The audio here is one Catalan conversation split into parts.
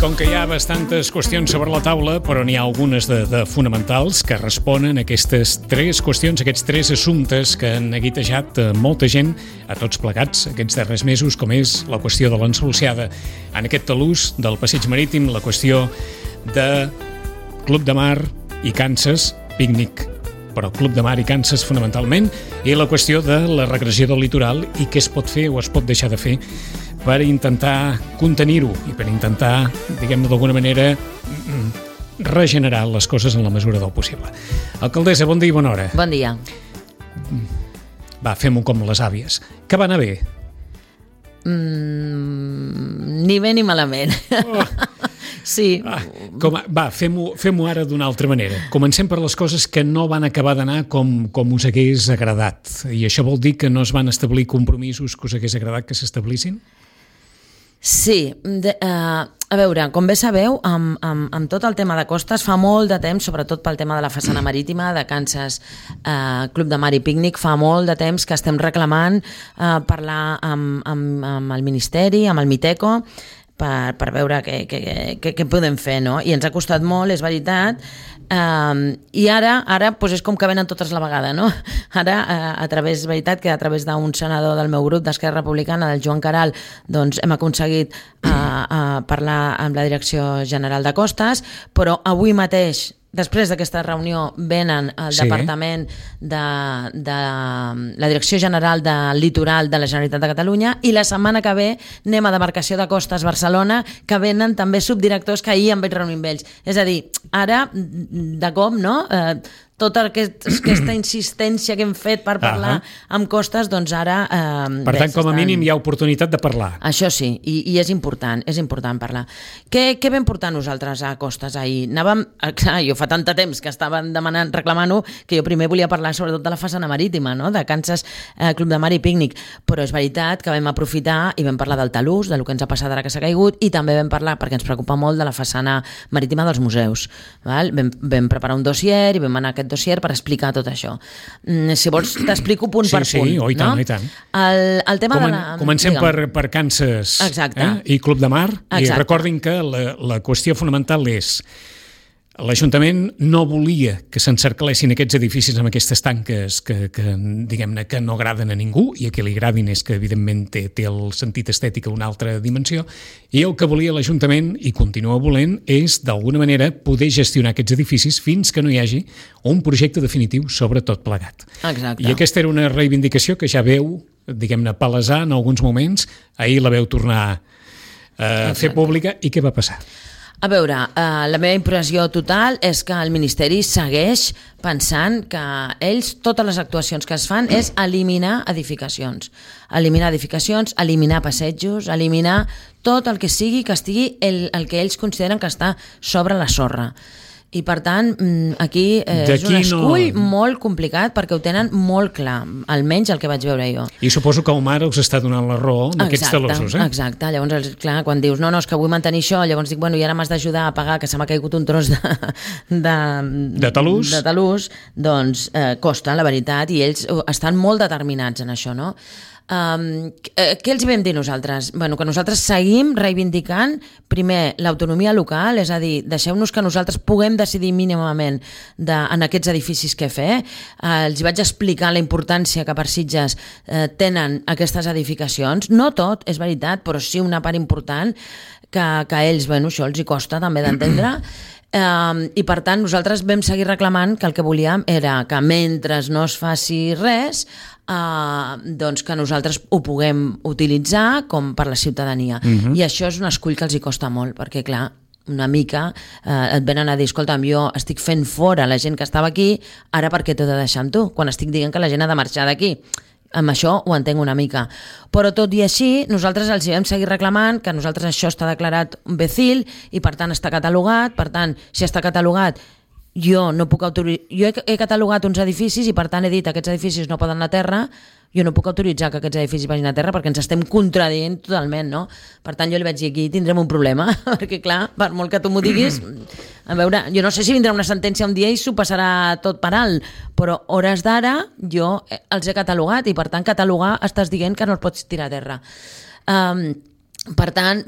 Com que hi ha bastantes qüestions sobre la taula, però n'hi ha algunes de fonamentals que responen a aquestes tres qüestions, aquests tres assumptes que han neguitejat molta gent, a tots plegats, aquests darrers mesos, com és la qüestió de l'ensoluciada en aquest talús del passeig marítim, la qüestió de Club de Mar i Kansas, pícnic, però Club de Mar i Kansas fonamentalment, i la qüestió de la regressió del litoral i què es pot fer o es pot deixar de fer per intentar contenir-ho i per intentar, diguem-ne d'alguna manera, regenerar les coses en la mesura del possible. Alcaldessa, bon dia i bona hora. Bon dia. Va, fem-ho com les àvies. Que va anar bé? Ni bé ni malament. Oh. Sí. Va, fem-ho ara d'una altra manera. Comencem per les coses que no van acabar d'anar com us hagués agradat. I això vol dir que no es van establir compromisos que us hagués agradat que s'establissin? Sí. A veure, com bé sabeu, amb tot el tema de costes, fa molt de temps, sobretot pel tema de la façana marítima de Kansas Club de Mar i Pícnic, fa molt de temps que estem reclamant parlar amb el Ministeri, amb el Miteco, per veure què podem fer, no? I ens ha costat molt, és veritat, i ara doncs és com que venen totes a la vegada, no? Ara, és veritat que a través d'un senador del meu grup d'Esquerra Republicana, del Joan Caral, doncs hem aconseguit parlar amb la Direcció General de Costes, però avui mateix, després d'aquesta reunió, venen al Departament de la Direcció General del Litoral de la Generalitat de Catalunya i la setmana que ve anem a Demarcació de Costes Barcelona, que venen també subdirectors que ahir em vaig reunir amb ells. És a dir, ara, de com, no? Tota aquesta insistència que hem fet per parlar amb Costes, doncs ara... Per tant, com a mínim hi ha oportunitat de parlar. Això sí, i és important parlar. Què vam portar nosaltres a Costes ahir? Clar, jo fa tant de temps que estaven demanant, reclamant-ho, que jo primer volia parlar sobretot de la façana marítima, no? De Kansas Club de Mar i Pícnic, però és veritat que vam aprofitar i vam parlar del talús, del que ens ha passat ara que s'ha caigut, i també vam parlar, perquè ens preocupa molt, de la façana marítima dels museus. Val? Vam preparar un dossier i vam anar a aquest dossier per explicar tot això. Si vols, t'explico punt per punt. Sí, i tant, no? I tant. El tema Comencem per Kansas i Club de Mar. Exacte. I recordin que la qüestió fonamental és l'Ajuntament no volia que s'encerclessin aquests edificis amb aquestes tanques que diguem-ne, que no agraden a ningú, i a qui li agradin és que, evidentment, té el sentit estètic a una altra dimensió, i el que volia l'Ajuntament, i continua volent, és, d'alguna manera, poder gestionar aquests edificis fins que no hi hagi un projecte definitiu sobre tot plegat. Exacte. I aquesta era una reivindicació que ja veu, diguem-ne, palesar en alguns moments. Ahir la veu tornar a fer pública. I què va passar? A veure, la meva impressió total és que el Ministeri segueix pensant que ells, totes les actuacions que es fan és eliminar edificacions, eliminar passejos, eliminar tot el que sigui que estigui el que ells consideren que està sobre la sorra. I per tant, aquí és un escull molt complicat perquè ho tenen molt clar, almenys el que vaig veure jo. I suposo que el mar us està donant la raó d'aquests talossos, Exacte, llavors, clar, quan dius no, és que vull mantenir això, llavors dic, bueno, i ara m'has d'ajudar a pagar, que se m'ha caigut un tros de talús, doncs costa, la veritat, i ells estan molt determinats en això, no? Què els vam dir nosaltres? Bueno, que nosaltres seguim reivindicant primer l'autonomia local, és a dir, deixeu-nos que nosaltres puguem decidir mínimament en aquests edificis què fer. Els vaig explicar la importància que per Sitges tenen aquestes edificacions, no tot, és veritat, però sí una part important que a ells, bueno, això els hi costa també d'entendre. I per tant nosaltres vam seguir reclamant que el que volíem era que mentre no es faci res, doncs que nosaltres ho puguem utilitzar com per la ciutadania. I això és un escull que els hi costa molt, perquè clar, una mica et venen a dir, escolta'm, jo estic fent fora la gent que estava aquí, ara per què t'ho he de deixar amb tu? Quan estic dient que la gent ha de marxar d'aquí. Amb això ho entenc una mica. Però tot i així, nosaltres els vam seguir reclamant que nosaltres això està declarat un BECIL i per tant està catalogat, per tant, si està catalogat, jo he catalogat uns edificis i per tant he dit que aquests edificis no poden anar a terra, jo no puc autoritzar que aquests edificis vagin a terra perquè ens estem contradient totalment, no? Per tant, jo li vaig dir, aquí tindrem un problema, perquè clar, per molt que tu m'ho diguis, a veure, jo no sé si vindrà una sentència un dia i s'ho passarà tot per alt, però hores d'ara jo els he catalogat i per tant catalogar estàs dient que no els pots tirar a terra. Per tant,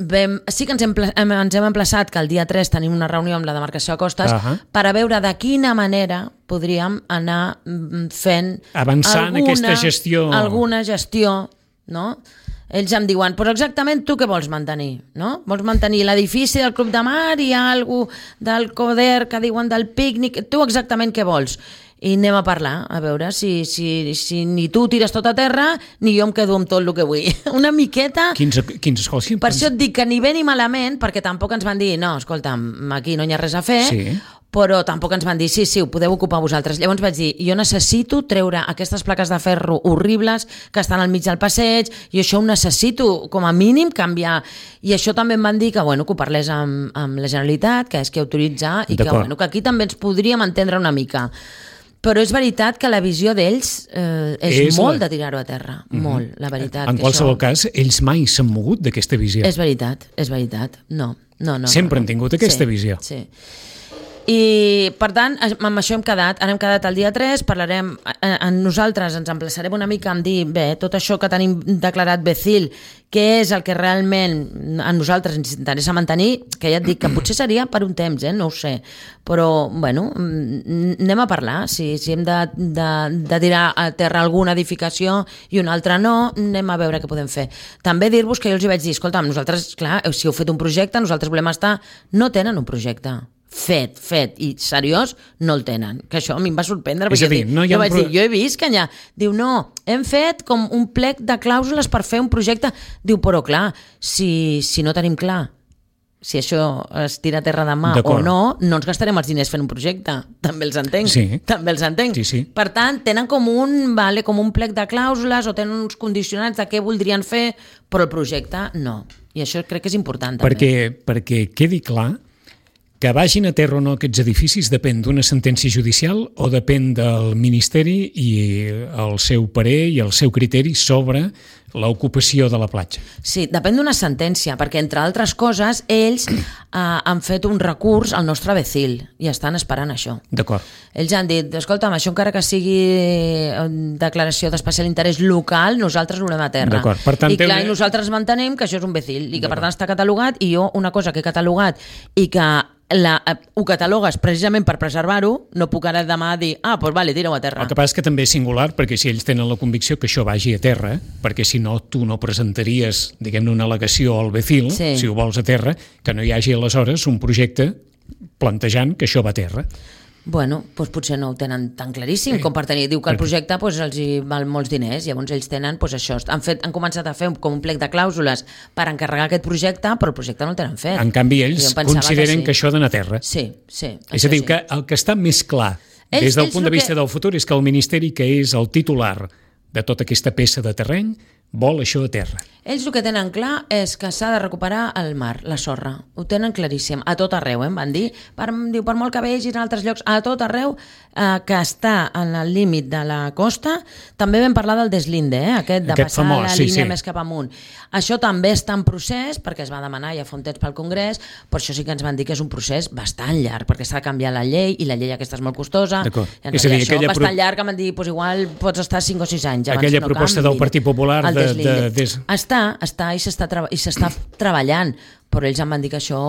sí que ens hem emplaçat que el dia 3 tenim una reunió amb la demarcació de costes per a veure de quina manera podríem anar fent avançar en aquesta gestió. Alguna gestió, no? Ells em diuen, però exactament tu què vols mantenir? No? Vols mantenir l'edifici del Club de Mar, hi ha alguna del CODER que diuen del pícnic, tu exactament què vols? I anem a parlar, a veure si ni tu tires tot a terra ni jo em quedo amb tot el que vull. Una miqueta... Quins escoles? Per això et dic que ni bé ni malament, perquè tampoc ens van dir, no, escolta'm, aquí no hi ha res a fer, però tampoc ens van dir, sí, ho podeu ocupar vosaltres. Llavors vaig dir, jo necessito treure aquestes plaques de ferro horribles que estan al mig del passeig, i això ho necessito, com a mínim, canviar. I això també em van dir que, que ho parlés amb la Generalitat, que és qui autoritza, i que aquí també ens podríem entendre una mica. Però és veritat que la visió d'ells és molt de tirar-ho a terra, molt, la veritat. En qualsevol cas, ells mai s'han mogut d'aquesta visió. És veritat, no. Sempre han tingut aquesta visió. Sí. I, per tant, amb això hem quedat. Ara hem quedat el dia 3, parlarem, nosaltres ens emplaçarem una mica en dir, bé, tot això que tenim declarat BECIL, què és el que realment a nosaltres ens interessa mantenir, que ja et dic que potser seria per un temps, no ho sé, però, anem a parlar, si hem de tirar a terra alguna edificació i una altra no, anem a veure què podem fer. També dir-vos que jo els vaig dir, escolta, nosaltres, clar, si heu fet un projecte, nosaltres volem estar, no tenen un projecte fet i seriós, no el tenen, que això a mi em va sorprendre, és a dir, jo vaig dir, jo he vist que allà diu, no, hem fet com un plec de clàusules per fer un projecte, diu, però clar, si no tenim clar si això es tira a terra demà o no ens gastarem els diners fent un projecte, també els entenc, sí. Per tant, tenen com un plec de clàusules o tenen uns condicionants de què voldrien fer, però el projecte no, i això crec que és important també. Perquè quedi clar que vagin a terra o no aquests edificis depèn d'una sentència judicial o depèn del Ministeri i el seu parer i el seu criteri sobre l'ocupació de la platja. Sí, depèn d'una sentència, perquè entre altres coses ells han fet un recurs al nostre BECIL i estan esperant això. D'acord. Ells han dit, escolta'm, això encara que sigui declaració d'especial interès local, nosaltres ho volem a terra. D'acord. Per tant, I clar, nosaltres mantenem que això és un BECIL i que per tant està catalogat, i jo una cosa que he catalogat i que ho catalogues precisament per preservar-ho, no puc ara demà dir, doncs vale, tira-ho a terra. El que passa és que també és singular, perquè si ells tenen la convicció que això vagi a terra, perquè si no tu no presentaries, diguem-ne, una al·legació al BECIL, si ho vols a terra, que no hi hagi aleshores un projecte plantejant que això va a terra. Bueno, doncs potser no ho tenen tan claríssim com per tenir. Diu que el projecte els hi val molts diners, llavors ells tenen això. Han començat a fer com un plec de clàusules per encarregar aquest projecte, però el projecte no el tenen fet. En canvi, ells consideren que això ha d'anar a terra. Sí. És a dir, que el que està més clar des del punt de vista del futur és que el Ministeri, que és el titular de tota aquesta peça de terreny, vol això a terra. Ells el que tenen clar és que s'ha de recuperar el mar, la sorra. Ho tenen claríssim, a tot arreu, em van dir. Per molt que vegis en altres llocs, a tot arreu que està en el límit de la costa. També vam parlar del deslinde, aquest de passar la línia més cap amunt. Això també està en procés, perquè es va demanar ja fa un temps pel Congrés, però això sí que ens van dir que és un procés bastant llarg, perquè s'ha de canviar la llei, i la llei aquesta és molt costosa. És a dir, això bastant llarg, que m'han dit, igual pots estar 5 o 6 anys. Aquella proposta del Partit Popular està i s'està treballant, però ells em van dir que això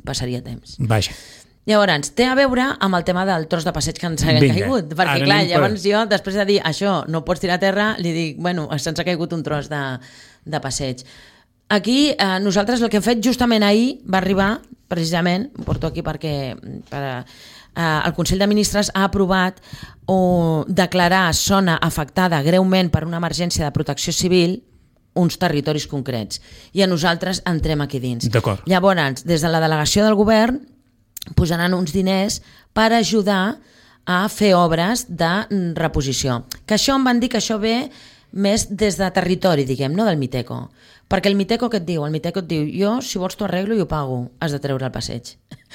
passaria temps. Vaja. Llavors, té a veure amb el tema del tros de passeig que ens ha caigut, perquè clar, llavors jo, després de dir això, no pots tirar a terra, li dic, se'ns ha caigut un tros de passeig. Aquí, nosaltres el que hem fet justament ahir va arribar, precisament, ho porto aquí perquè el Consell de Ministres ha aprovat declarar zona afectada greument per una emergència de protecció civil uns territoris concrets, i a nosaltres entrem aquí dins. D'acord. Llavors, des de la delegació del govern posaran uns diners per ajudar a fer obres de reposició. Que això em van dir que això ve més des de territori, diguem, no del Miteco. Perquè el Miteco què et diu? El Miteco et diu, jo, si vols t'ho arreglo i ho pago, has de treure el passeig.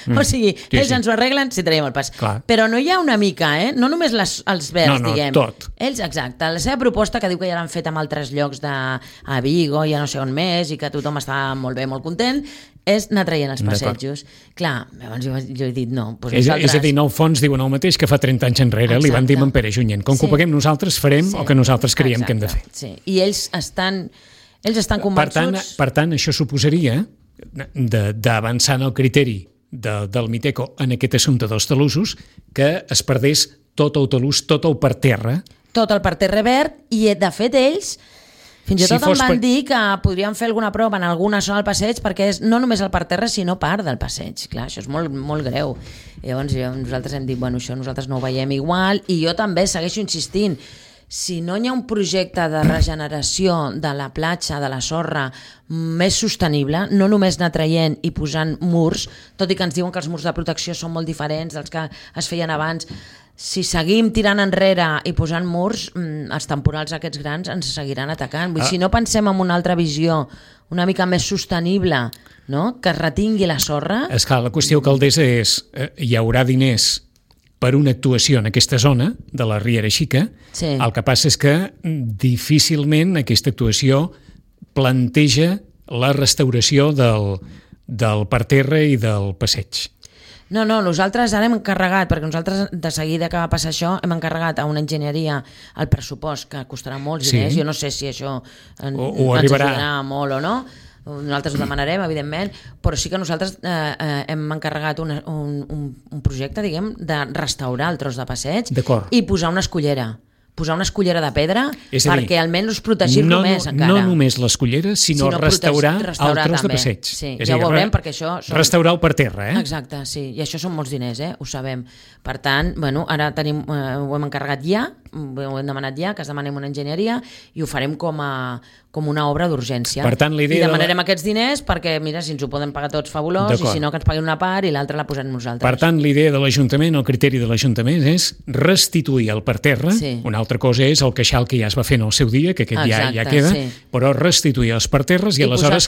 O sigui, ells ens ho arreglen si traiem el pas. Clar. Però no hi ha una mica, no només els verds, diguem. Tot. Ells, exacte, la seva proposta, que diu que ja l'han fet en altres llocs a Vigo, ja no sé on més, i que tothom està molt bé, molt content, és anar traient els passejos. Clar, llavors jo he dit no. És a dir, Nou Fons diuen el mateix que fa 30 anys enrere, li van dir amb en Pere Junyent. Com que ho paguem nosaltres, farem el que nosaltres creiem que hem de fer. Sí, i ells estan... Ells estan convençuts... Per tant, això suposaria, d'avançar en el criteri del Miteco en aquest assumpte dels talussos, que es perdés tot el talús, tot el parterre. Tot el parterre verd, i de fet ells... Fins i tot em van dir que podríem fer alguna prova en alguna zona del passeig perquè és no només el parterre, sinó part del passeig. Clar, això és molt, molt greu. Llavors nosaltres hem dit, bueno, això nosaltres no ho veiem igual, i jo també segueixo insistint. Si no hi ha un projecte de regeneració de la platja, de la sorra, més sostenible, no només anar traient i posant murs, tot i que ens diuen que els murs de protecció són molt diferents dels que es feien abans, si seguim tirant enrere i posant murs, els temporals aquests grans ens seguiran atacant. Vull dir, si no pensem en una altra visió, una mica més sostenible, no? Que es retingui la sorra... Esclar, la qüestió, alcaldessa, és hi haurà diners per una actuació en aquesta zona de la Riera Xica. Sí. El que passa és que difícilment aquesta actuació planteja la restauració del parterre i del passeig. No, nosaltres ara hem encarregat, perquè nosaltres de seguida que va passar això hem encarregat a una enginyeria el pressupost, que costarà molts diners, jo no sé si això ens ajudarà molt o no, nosaltres ho demanarem, evidentment, però sí que nosaltres hem encarregat un projecte, diguem, de restaurar el tros de passeig i posar una escullera de pedra perquè almenys protegir-lo més encara. No només l'escullera, sinó restaurar el tros de passeig. Sí, ja ho veurem perquè això... Restaurar el parterre, Exacte, sí, i això són molts diners, ho sabem. Per tant, bueno, ara ho hem encarregat ja, ho hem demanat ja, que es demanem una enginyeria i ho farem com una obra d'urgència. Per tant, I demanarem aquests diners perquè, mira, si ens ho poden pagar tots, fabulós, i si no, que ens paguin una part i l'altra la posem nosaltres. Per tant, l'idea de l'Ajuntament, el criteri de l'Ajuntament és restituir el parterre. Una altra cosa és el queixal que ja es va fer en el seu dia, que aquest ja queda, però restituir els parterres i aleshores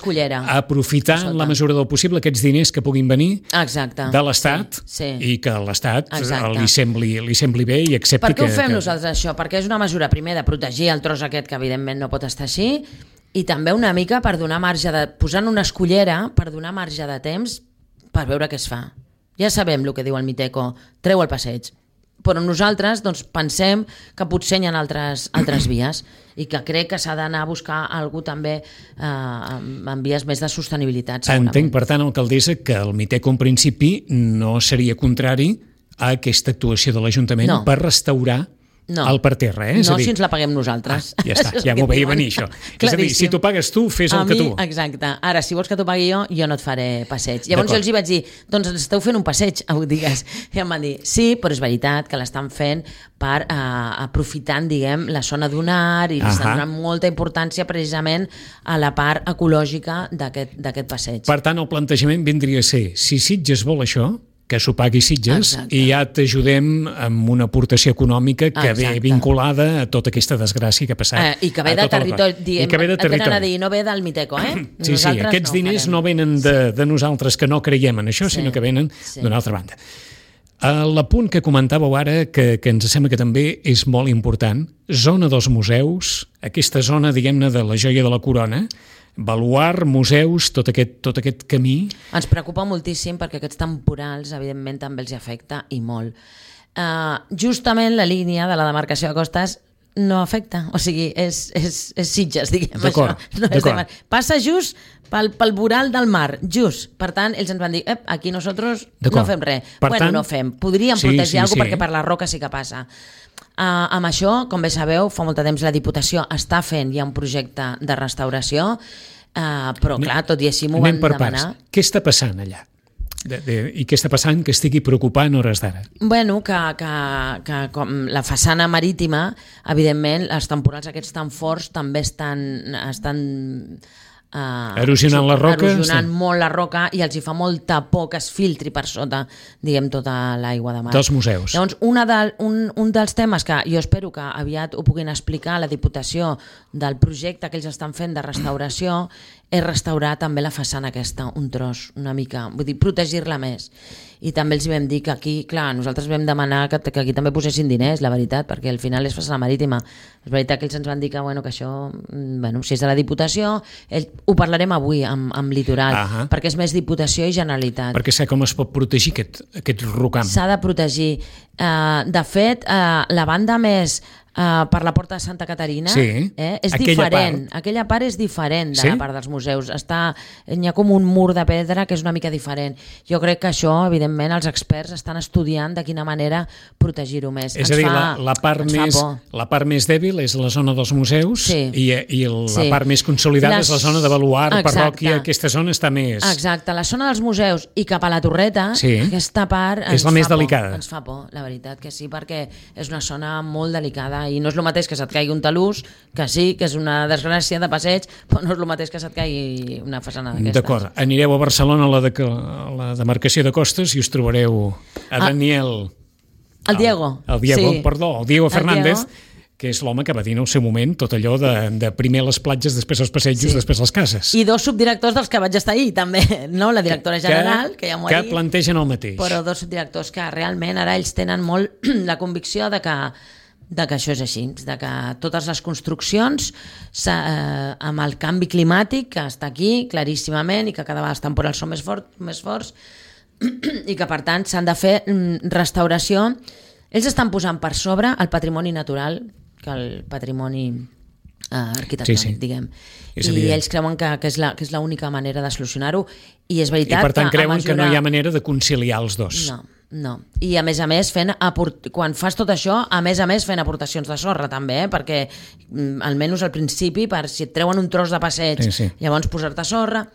aprofitar en la mesura del possible aquests diners que puguin venir de l'Estat i que l'Estat li sembli bé i accepti que... Per què ho fem nosaltres això? Perquè és una mesura, primer, de protegir el tros aquest, que evidentment no pot estar així, i també una mica per donar marge posant una escullera, per donar marge de temps per veure què es fa. Ja sabem el que diu el Miteco, treu el passeig, però nosaltres pensem que potser hi ha altres vies i que crec que s'ha d'anar a buscar algú també en vies més de sostenibilitat. Entenc, per tant, alcaldessa, que el Miteco en principi no seria contrari a aquesta actuació de l'Ajuntament per restaurar el parterre, No, si ens la paguem nosaltres. Ja està, ja m'ho veia venir, això. És a dir, si t'ho pagues tu, fes el que tu. Exacte. Ara, si vols que t'ho pagui jo no et faré passeig. Llavors jo els vaig dir, doncs ens esteu fent un passeig, ho digues. I em van dir, sí, però és veritat que l'estan fent per aprofitant, diguem, la zona dunar i li estan donant molta importància precisament a la part ecològica d'aquest passeig. Per tant, el plantejament vindria a ser, si Sitges vol això, que s'ho pagui Sitges i ja t'ajudem amb una aportació econòmica que ve vinculada a tota aquesta desgràcia que ha passat. I que ve de territori. I que ve de territori. No ve del Miteco, Sí, aquests diners no venen de nosaltres que no creiem en això, sinó que venen d'una altra banda. L'apunt que comentàveu ara, que ens sembla que també és molt important, zona dels museus, aquesta zona, diguem-ne, de la joia de la corona, baluart, museus, tot aquest camí... Ens preocupa moltíssim perquè aquests temporals, evidentment, també els afecta i molt. Justament la línia de la demarcació de costes no afecta, o sigui, és Sitges, diguem això. Passa just pel voral del mar, just. Per tant, ells ens van dir, aquí nosaltres no fem res. Bueno, no fem. Podríem protegir alguna cosa perquè per la roca sí que passa. Amb això, com bé sabeu, fa molt de temps la Diputació està fent ja un projecte de restauració, però clar, tot i així m'ho van demanar. Què està passant allà? I què està passant que estigui preocupant a hores d'ara? Bueno, que com la façana marítima, evidentment, els temporals aquests tan forts també estan erosionant la roca, erosionant molt la roca i els hi fa molta por que es filtri per sota, diguem, tota l'aigua de mar. Dels museus. Llavors, un dels temes que jo espero que aviat ho puguin explicar a la Diputació del projecte que ells estan fent de restauració és restaurar també la façana aquesta, un tros, una mica, vull dir, protegir-la més. I també els vam dir que aquí, clar, nosaltres vam demanar que aquí també posessin diners, la veritat, perquè al final és façana marítima. És veritat que ells ens van dir que això, si és de la Diputació, ho parlarem avui amb Litoral, perquè és més Diputació i Generalitat. Perquè sé com es pot protegir aquest rocam. S'ha de protegir. De fet, la banda més per la Porta de Santa Caterina, és diferent. Aquella part és diferent de la part dels museus. Hi ha com un mur de pedra que és una mica diferent. Jo crec que això, evidentment, els experts estan estudiant de quina manera protegir-ho més. És a dir, la part més dèbil és la zona dels museus i la part més consolidada és la zona de baluard, parròquia, aquesta zona està més... Exacte, la zona dels museus i cap a la Torreta, aquesta part és la més delicada. Ens fa por, la veritat que sí, perquè és una zona molt delicada i no és el mateix que se't caigui un talús, que sí, que és una desgràcia de passeig, però no és el mateix que se't caigui una façana d'aquestes. D'acord, anireu a Barcelona a la demarcació de costes i us trobareu a Daniel... El Diego. El Diego Fernández, que és l'home que va dir en el seu moment tot allò de primer les platges, després els passejos, després les cases. I 2 subdirectors dels que vaig estar ahir, també, no? La directora general, que ja m'ho ha dit. Que plantegen el mateix. Però 2 subdirectors que realment ara ells tenen molt la convicció de que això és així, de que totes les construccions amb el canvi climàtic que està aquí claríssimament i que cada vegada els temporals són més forts i que per tant s'han de fer restauració. Ells estan posant per sobre el patrimoni natural que el patrimoni arquitectònic, diguem. I ells creuen que és l'única manera de solucionar-ho i és veritat que... I per tant creuen que no hi ha manera de conciliar els dos. No. I a més, quan fas tot això, a més fent aportacions de sorra també, perquè almenys al principi, si et treuen un tros de passeig, llavors posar-te sorra,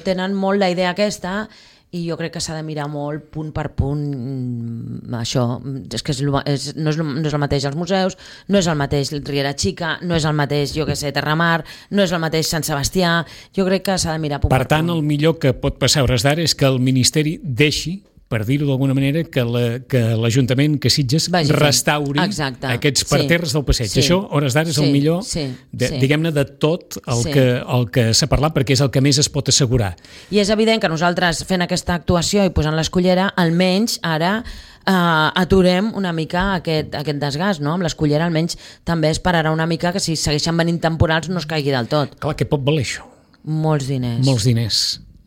tenen molt la idea aquesta i jo crec que s'ha de mirar molt punt per punt això, és que no és el mateix els museus, no és el mateix Riera Xica, no és el mateix, jo que sé, Terramar, no és el mateix Sant Sebastià, jo crec que s'ha de mirar punt per punt. Per tant, el millor que pot passar a hores d'ara és que el Ministeri deixi, per dir-ho d'alguna manera, que l'Ajuntament, que Sitges, restauri aquests parterres del passeig. Això, a hores d'ara, és el millor, diguem-ne, de tot el que s'ha parlat, perquè és el que més es pot assegurar. I és evident que nosaltres, fent aquesta actuació i posant l'escullera, almenys ara aturem una mica aquest desgast, no? Amb l'escullera almenys també esperarà una mica que si segueixen venint temporals no es caigui del tot. Clar, què pot valer això? Molts diners.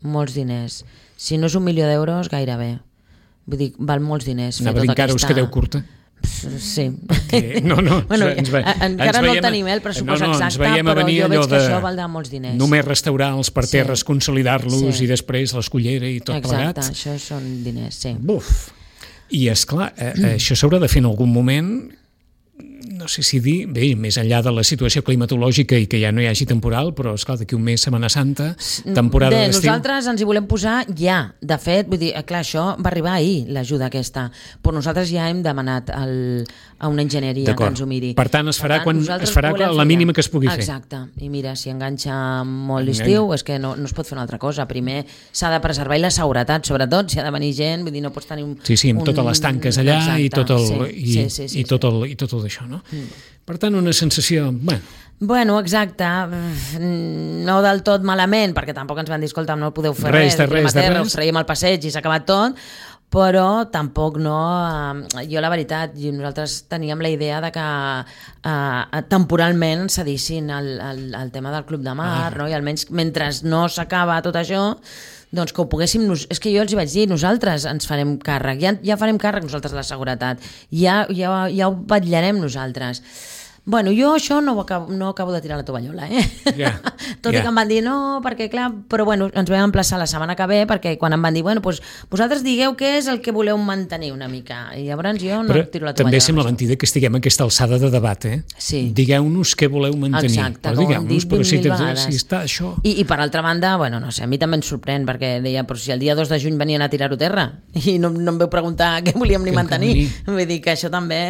Molts diners. Si no és 1 milió d'euros, gairebé. Vull dir, val molts diners. Anava a dir, encara us quedeu curta? Sí. No, encara no tenim el pressupost exacte, però jo veig que això valdrà molts diners. Només restaurar els parterres, consolidar-los i després l'escullera i tot plegat. Exacte, això són diners, sí. Buf! I esclar, això s'haurà de fer en algun moment, no sé si dir, bé, més enllà de la situació climatològica i que ja no hi hagi temporal, però esclar, d'aquí un mes, Setmana Santa, temporada d'estiu... Nosaltres ens hi volem posar ja. De fet, vull dir, clar, això va arribar ahir, l'ajuda aquesta, però nosaltres ja hem demanat a una enginyeria que ens ho miri. Per tant, es farà la mínima que es pugui fer. Exacte. I mira, si enganxa molt l'estiu, és que no es pot fer una altra cosa. Primer s'ha de preservar i la seguretat, sobretot, si ha de venir gent, vull dir, no pots tenir amb totes les tanques allà i tot això, no? Per tant, una sensació... Bueno, exacte, no del tot malament, perquè tampoc ens van dir, escolta, no podeu fer res, us traiem al passeig i s'ha acabat tot, però tampoc no... Jo, la veritat, nosaltres teníem la idea de que temporalment cedissin el tema del Club de Mar, no? I almenys mentre no s'acaba tot això, doncs que ho poguéssim... És que jo els hi vaig dir, nosaltres ens farem càrrec, ja farem càrrec nosaltres de la seguretat, ja ho vetllarem nosaltres. Bueno, jo això no acabo de tirar la tovallola, Tot i que em van dir no, perquè clar, però bueno, ens vam emplaçar la setmana que ve, perquè quan em van dir, bueno, doncs vosaltres digueu què és el que voleu mantenir una mica, i llavors jo no tiro la tovallola. També sembla mentida que estiguem a aquesta alçada de debat, Sí. Digueu-nos què voleu mantenir. Exacte, com hem dit 20.000 vegades. Si està això... I per altra banda, bueno, no sé, a mi també em sorprèn, perquè deia, però si el dia 2 de juny venien a tirar-ho terra, i no em veu preguntar què volíem ni mantenir. Vull dir que això també...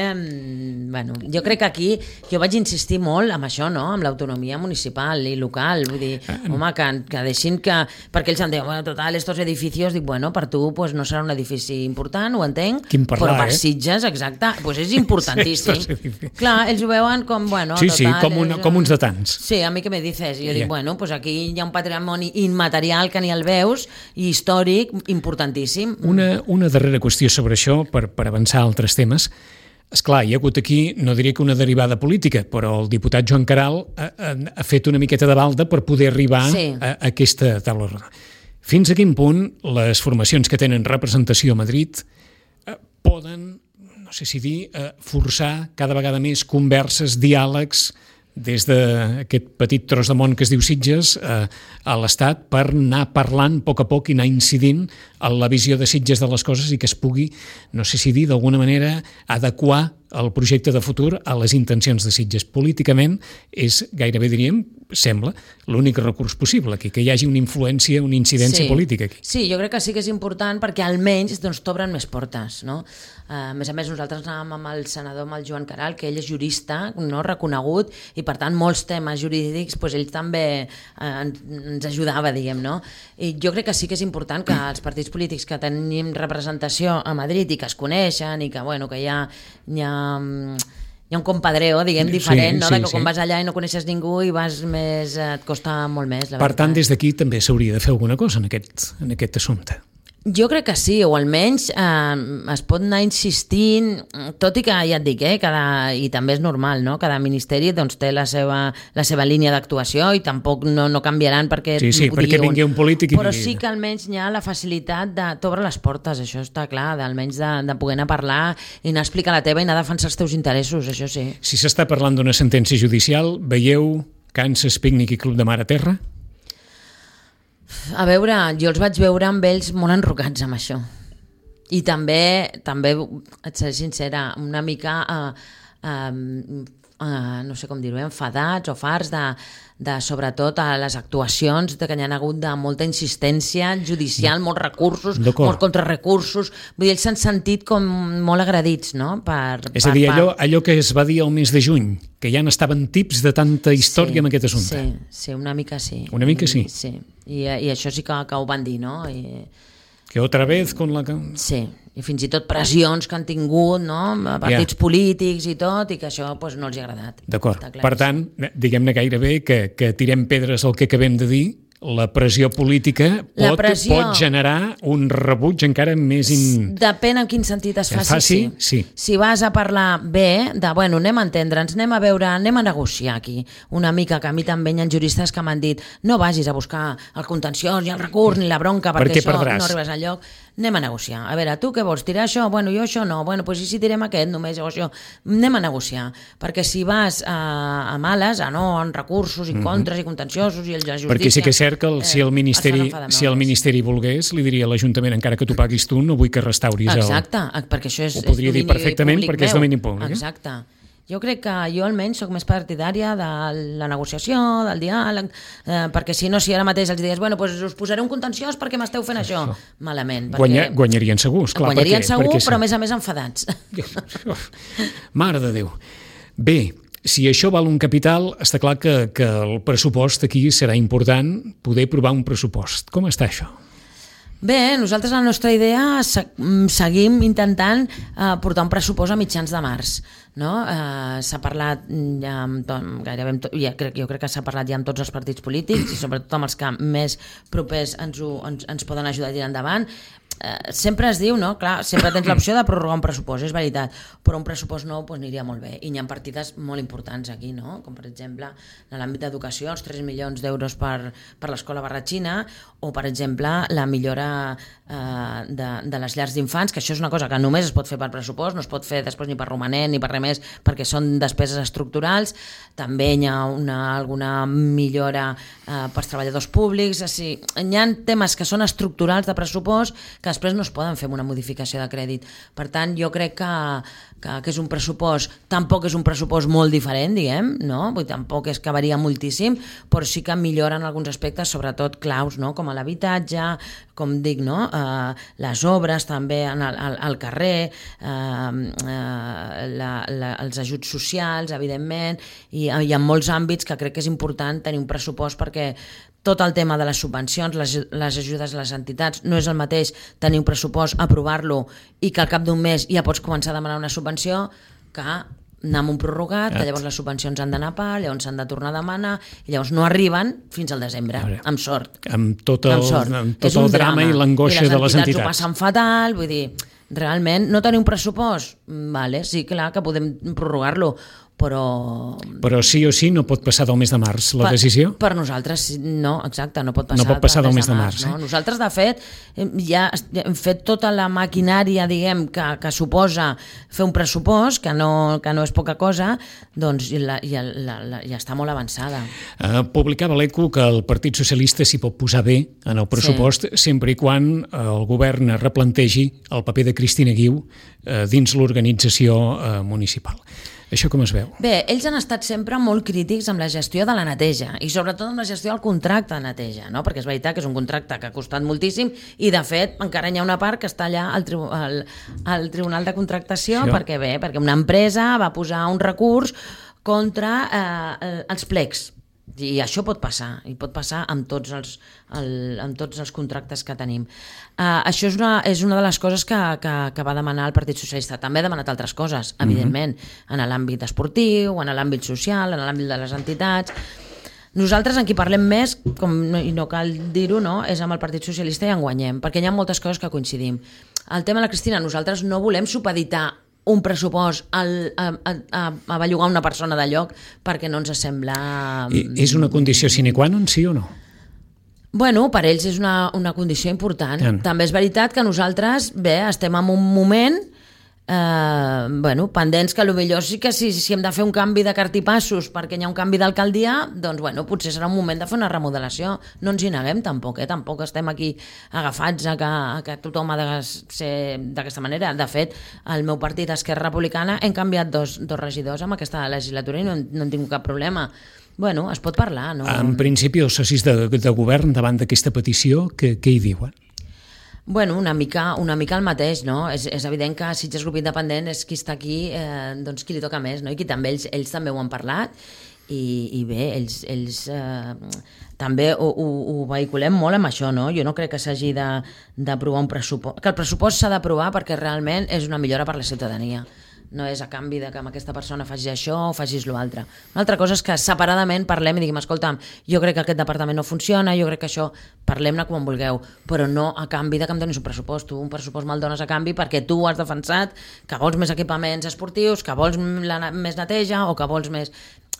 Bueno, jo crec que aquí jo vaig insistir molt amb això, no? Amb l'autonomia municipal i local, vull dir, home, que deixin que... Perquè ells em diuen, bueno, total, estos edificios, dic, bueno, per tu pues, no serà un edifici important, ho entenc, però per Sitges, exacte, pues és importantíssim. Clar, ells ho veuen com, bueno, sí, total... com uns de tants. Sí, a mi què me dices? I jo dic, bueno, pues aquí hi ha un patrimoni immaterial que ni el veus, i històric, importantíssim. Una darrera qüestió sobre això, per avançar a altres temes. Esclar, hi ha hagut aquí, no diria que una derivada política, però el diputat Joan Caral ha fet una miqueta de balda per poder arribar a aquesta taula rodona. Fins a quin punt les formacions que tenen representació a Madrid poden, no sé si dir, forçar cada vegada més converses, diàlegs, des d'aquest petit tros de món que es diu Sitges a l'Estat per anar parlant a poc i anar incidint en la visió de Sitges de les coses i que es pugui, no sé si dir, d'alguna manera adequar el projecte de futur a les intencions de Sitges. Políticament és gairebé, diríem, sembla, l'únic recurs possible, que hi hagi una influència, una incidència política aquí. Sí, jo crec que sí que és important perquè almenys t'obren més portes, no? A més, nosaltres anàvem amb el senador, amb el Joan Caral, que ell és jurista, no, reconegut, i per tant molts temes jurídics ell també ens ajudava, diguem, no? I jo crec que sí que és important que els partits polítics que tenim representació a Madrid i que es coneixen i que, bueno, que hi ha un compadreo, diguem, diferent, no? Que quan vas allà i no coneixes ningú i vas més, et costa molt més, la veritat. Per tant, des d'aquí també s'hauria de fer alguna cosa en aquest assumpte. Jo crec que sí, o almenys es pot anar insistint, tot i que ja et dic, i també és normal, no? Cada ministeri doncs, té la seva línia d'actuació i tampoc no canviaran perquè perquè vingui un polític i... Però sí que almenys hi ha la facilitat de t'obre les portes, això està clar, almenys de poder anar a parlar i anar a explicar la teva i anar a defensar els teus interessos, això sí. Si s'està parlant d'una sentència judicial, veieu Kansas Pícnic i Club de Mar a terra? A veure, jo els vaig veure amb ells molt enrocats amb això. I també et seré sincera, una mica, no sé com dir-ho, enfadats o farts de sobretot a les actuacions que hi ha hagut de molta insistència judicial, molts recursos, molts contrarrecursos. Vull dir, ells s'han sentit com molt agredits, no? És a dir, allò que es va dir el mes de juny, que ja n'estaven tips de tanta història amb aquest assumpte. Sí, una mica sí. Una mica sí? Sí, i això sí que ho van dir, no? Que otra vez con la... Sí, i fins i tot pressions que han tingut, no? Partits polítics i tot, i que això no els ha agradat. D'acord. Per tant, diguem-ne gairebé que tirem pedres al que acabem de dir, la pressió política pot generar un rebuig encara més... Depèn en quin sentit es faci. Sí. Si vas a parlar bé, anem a entendre'ns, anem a veure, anem a negociar aquí. Una mica, que a mi també hi ha juristes que m'han dit no vagis a buscar el contenciós i el recurs ni la bronca, perquè això no arribes enlloc. Anem a negociar. A veure, tu què vols? Tirar això? Bueno, jo això no. Bueno, doncs i si tirem aquest només o això? Anem a negociar. Perquè si vas a males, en recursos i contres i contenciosos i el de justícia... Perquè sí que és cert que si el Ministeri volgués, li diria a l'Ajuntament, encara que tu paguis tu, no vull que restauris el... Exacte, perquè això és... Ho podria dir perfectament perquè és domini públic. Exacte. Jo crec que jo almenys soc més partidària de la negociació, del diàleg, perquè si ara mateix els digués, us posaré un contenciós perquè m'esteu fent això. Malament. Guanyarien segur, esclar. Guanyarien segur, però a més enfadats. Mare de Déu. Bé, si això val un capital, està clar que el pressupost aquí serà important poder aprovar un pressupost. Com està això? Bé, nosaltres la nostra idea seguim intentant portar un pressupost a mitjans de març. No? S'ha parlat gairebé jo crec que s'ha parlat ja amb tots els partits polítics i sobretot amb els que més propers ens poden ajudar a tirar endavant. Sempre es diu, no? Clar, sempre tens l'opció de prorrogar un pressupost, és veritat, però un pressupost nou aniria molt bé i hi ha partides molt importants aquí, no? Com per exemple en l'àmbit d'educació, els 3 milions d'euros per l'escola Barratxina, o per exemple la millora de les llars d'infants, que això és una cosa que només es pot fer per pressupost, no es pot fer després ni per romanent ni per res més, perquè són despeses estructurals. També hi ha alguna millora pels treballadors públics. Hi ha temes que són estructurals de pressupost que després no es poden fer amb una modificació de crèdit. Per tant, jo crec que és un pressupost, tampoc és un pressupost molt diferent, diguem, no? Vull dir, tampoc és que varia moltíssim, però sí que milloren alguns aspectes, sobretot claus, no? Com l'habitatge, com dic, no? Les obres també al carrer, els ajuts socials, evidentment, i hi ha molts àmbits que crec que és important tenir un pressupost perquè tot el tema de les subvencions, les ajudes a les entitats, no és el mateix tenir un pressupost, aprovar-lo i que al cap d'un mes ja pots començar a demanar una subvenció que anar amb un prorrogat, que llavors les subvencions han d'anar a part, llavors s'han de tornar a demanar i llavors no arriben fins al desembre, amb sort. Amb tot el drama i l'angoixa de les entitats. I les entitats ho passen fatal, vull dir, realment no tenir un pressupost, vale, sí, clar que podem prorrogar-lo, Però sí o sí no pot passar del mes de març la decisió? Per nosaltres no, exacte, no pot passar, no pot passar del mes de març. No? Nosaltres, de fet, ja hem fet tota la maquinària, diguem, que suposa fer un pressupost, que no és poca cosa, doncs ja està molt avançada. Publicava l'ECO que el Partit Socialista s'hi pot posar bé en el pressupost, sempre i quan el govern replantegi el paper de Cristina Guiu dins l'organització municipal. Això com es veu? Bé, ells han estat sempre molt crítics amb la gestió de la neteja i sobretot amb la gestió del contracte de neteja, no? Perquè és veritat que és un contracte que ha costat moltíssim i de fet encara hi ha una part que està allà al Tribunal de Contractació perquè una empresa va posar un recurs contra els plecs. I això pot passar, i pot passar amb tots els contractes que tenim. Això és una de les coses que va demanar el Partit Socialista. També ha demanat altres coses, evidentment, en l'àmbit esportiu, en l'àmbit social, en l'àmbit de les entitats. Nosaltres en qui parlem més, i no cal dir-ho, no, és amb el Partit Socialista i en guanyem, perquè hi ha moltes coses que coincidim. El tema de la Cristina, nosaltres no volem supeditar un pressupost a bellugar una persona de lloc perquè no ens sembla... És una condició sine qua non, sí o no? Bueno, per ells és una condició important. També és veritat que nosaltres, estem en un moment pendents que potser sí que si hem de fer un canvi de cartipassos perquè hi ha un canvi d'alcaldia, doncs potser serà un moment de fer una remodelació. No ens hi neguem tampoc, tampoc estem aquí agafats a que tothom ha de ser d'aquesta manera. De fet, el meu partit, Esquerra Republicana, hem canviat dos regidors en aquesta legislatura i no hem tingut cap problema. Es pot parlar, no? En principi, els socis de govern davant d'aquesta petició, què hi diuen? Una mica el mateix, no? És evident que Sitges Grup Independent és qui està aquí, doncs qui li toca més, no? I qui també ells també ho han parlat i bé, ells també ho vehiculem molt amb això, no? Jo no crec que s'hagi d'aprovar un pressupost, que el pressupost s'ha d'aprovar perquè realment és una millora per la ciutadania. No és a canvi de que amb aquesta persona facis això o facis l'altre. Una altra cosa és que separadament parlem i diguem, escolta'm, jo crec que aquest departament no funciona, jo crec que això, parlem-ne com vulgueu, però no a canvi de que em donis un pressupost. Tu un pressupost me'l dones a canvi perquè tu has defensat que vols més equipaments esportius, que vols més neteja o que vols més...